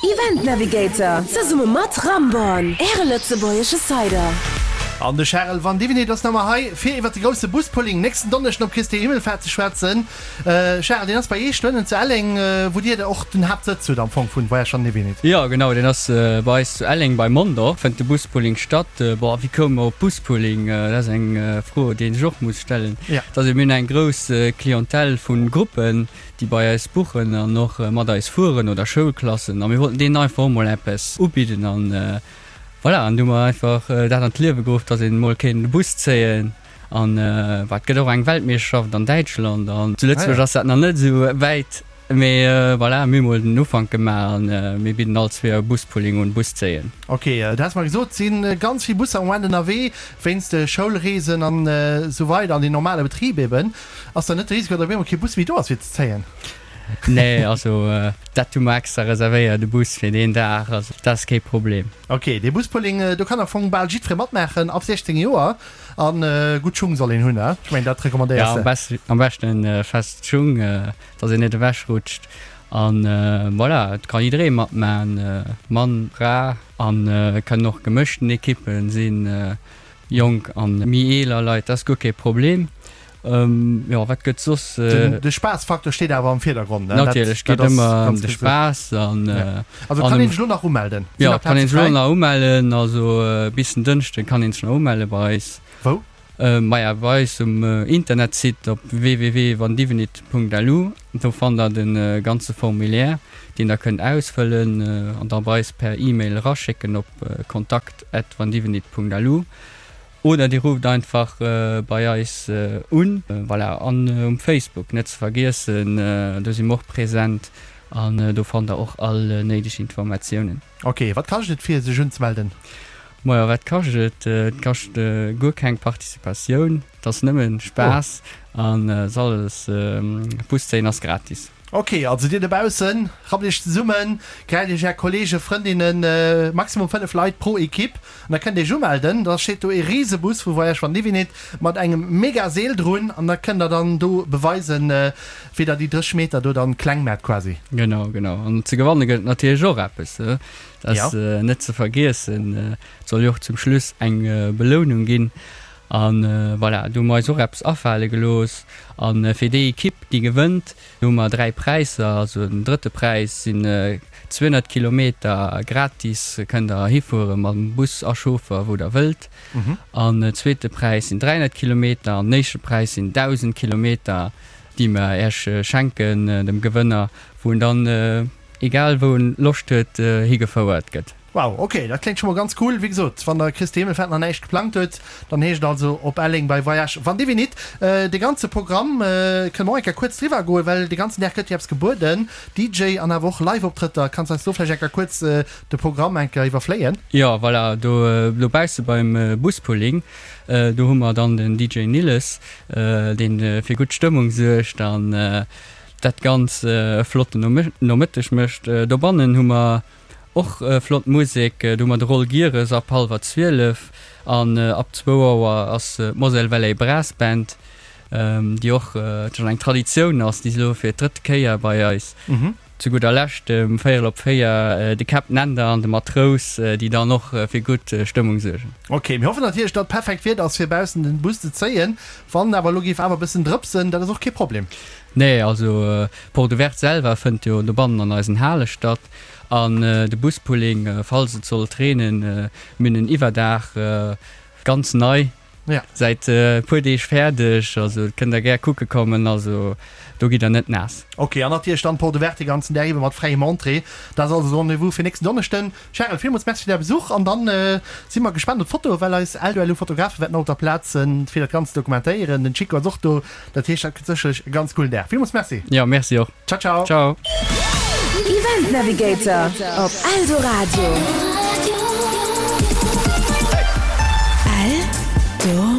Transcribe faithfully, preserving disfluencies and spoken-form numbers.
Event Navigator zesumme mat Ramborn, Äre lëtzebuergesche Cider. An de Charel Vandivinit ass nach emol hei, fir iwwer de grousse Buspulling nächsten Donneschden op Christi Himmelfaart ze schwätzen. Charel, deen ass bei Iech dohennen zu Elleng, wou Dir och den Haaptsëtz hutt am Fong vun Voyage Vandivinit. Jo, genau, deen ass bei eis zu Elleng bei Mondorf, fënnt de Buspulling statt. Bon, wéi koume mer op Buspulling? Dat ass eng Fro, déi een sech och muss stellen. Et ass, mir hunn eng grouss Clientèle vu Gruppen, déi bei eis buchen an och mat eis fueren oder Schoulklassen a mir wollten deenen einfach och mol eppes ubidden an voilà, an du hu mer einfach dat an d'Liewe geruff, dass een mol kéint e Bus zéien an bah, et gëtt och eng Weltmeeschterschaft an Däitschland an zu Lëtzebuerg ass dat nach net esou wäit, mee voilà, mir hu mol den Ufank gemaach an mir bidden all zwee Joer e Buspulling un, Bus zéien. Ok, du has mer gesot, et si ganz vill Busser am Moment ënnerwee wéinst de Schoulreesen an esou weider an den normale Betrib eben. Ass dann net de Risiko, datt op eemol kee Bus méi do ass fir ze zéien? Nee, also dat hu mer extra reservéiert, e Bus fir deen Dag, also dat ass kee Problem. Ok, dee Buspulling, do kann am Fong bal jiddweree matmaachen, ab siechzéng Joer, a gutt Schung soll een hunn, ne? Ech mengen, dat recommandéiers de. Jo, am beschten fest Schung, datt een net ewechrutscht. An voilà, et ka jidderee matmaachen, Mann, Fra, an et kënnen och gemëschten Ekippen sinn, jonk an méi eeler Leit, dat ass guer kee Problem. Jo, wat gëtt soss? De Spaassfaktor steet awer am Virdergrond, ne? Natierlech, et geet ëmmer ëm de Spaass an. Also kann een sech elo nach umelden? Jo, et kann een sech elo nach umellen, also bis den Dënschde kann een sech nach umelle bei eis. Wou? Maja, bei eis um Internetsite op www.vandivenit.lu. Do fannt der de ganze Formulaire, deen der kënnt ausfëllen an da bei eis per E-Mail eraschécken op kontakt at vandivenit.lu. Oder dir rufft einfach bei eis un. Voilà, an um Facebook net ze vergiessen, do si mer och present an do fannt der och all néideg Informatiounen. Ok, wat kascht et fir sech unzemelden? Majo, wat kascht et? Et kascht guer keng Participatioun, et ass nëmmen Spaass an et ass alles, Bus zéien ass gratis. Ok, also dir dobaussen, rappt iech zesummen, gräift iech är Kollegen, Frëndinnen, maximum fënnef Leit pro Equipe, an da kënnt dir iech umelden. Da steet do ee Risebus vu Voyage van Divinit mat engem mega Seel drun an da kënnt der dann do beweisen, wéi der déi drësseg Meter do dann kleng maacht quasi. Genau, genau. An ze gewanne gëtt et natierlech och eppes, dat ass net ze vergiessen. Et soll jo och zum Schluss eng Belounung ginn. An voilà, do hu mer eis och eppes afale gelooss. A fir déi Ekipp, déi gewënnt, do hu mer dräi Präisser. Also den drëtte Präis sinn zweehonnert Kilometer gratis, kënnt der hifuere mam Bus a Chauffer, wou der wëllt. An zweete Präis sinn dräihonnert Kilometer an den éischte Präis sinn dausend Kilometer, déi mer Iech schenken, dem Gewënner, wou en dann, egal wou en Loscht huet, higefouert gëtt. Wow, ok, dat kléngt scho mol ganz cool. Wéi gesot, wann der Christi Himmelfahrt nach näischt geplangt huet, dann heescht et also op Elleng bei Voyage van Divinit. De ganze Programm kënne mer och eng Kéier kuerz driwwer goen, well de ganzen Dag gëtt jo eppes gebueden, D J an awer och Live-Optrëtter. Kanns eis do vläicht eng Kéier kuerz de Programm eng Kéier iwwerfléien? Jo, voilà, do dobausse beim Buspulling, do hu mer dann den D J Nilles, deen fir gutt Stëmmung suergt an dat Ganz e flotten Nomëtteg mécht. Dobannen hu mer och flott Musek, do hu mer de Roll Gieres ab hallwer zwielef an ab zwou Auer ass d'Moselle Valley Brass Band, déi och schonn eng Traditioun ass, déi si elo fir d'drëtt Kéier bei eis. Zu gudder Lescht um véierel op véier de Captain Änder an de Matrous, déi dann och fir gutt Stëmmung suergen. Ok, mir hoffen natierlech datt perfekt Wieder ass fir baussen den Bus ze zéien. Wann awer elo géif awer bëssen drëpsen, dat ass och kee Problem. Nee, also d'Porte Ouverte selwer fënnt jo dobannen an eisen Hale statt. An de Buspulling, falls et sollt reenen, mir hunn en Iwwerdaach, ganz nei, säit e puer Deeg fäerdeg, also kënnt der gär kucke kommen, also do gitt der net naass. Ok, an natierlech dann d'Porte Ouverte de ganzen Dag iwwer mat fräiem Entrée. Dat ass also de Rendez-vous fir nächsten Donneschden. Charel, villmools Merci fir däi Besuch an dann si mer gespaant op d'Fotoe, well eis Eldo-LU-Fotografe wäerten och op der Plaz sinn, fir dat Ganzt ze dokumentéieren. Den Chico ass och do, dat heescht, dat gëtt sécherlech e ganz coolen Dag. Villmools Merci. Jo, merci och. Ciao, ciao. Ciao. Event Navigator op Eldoradio. Eldoradio.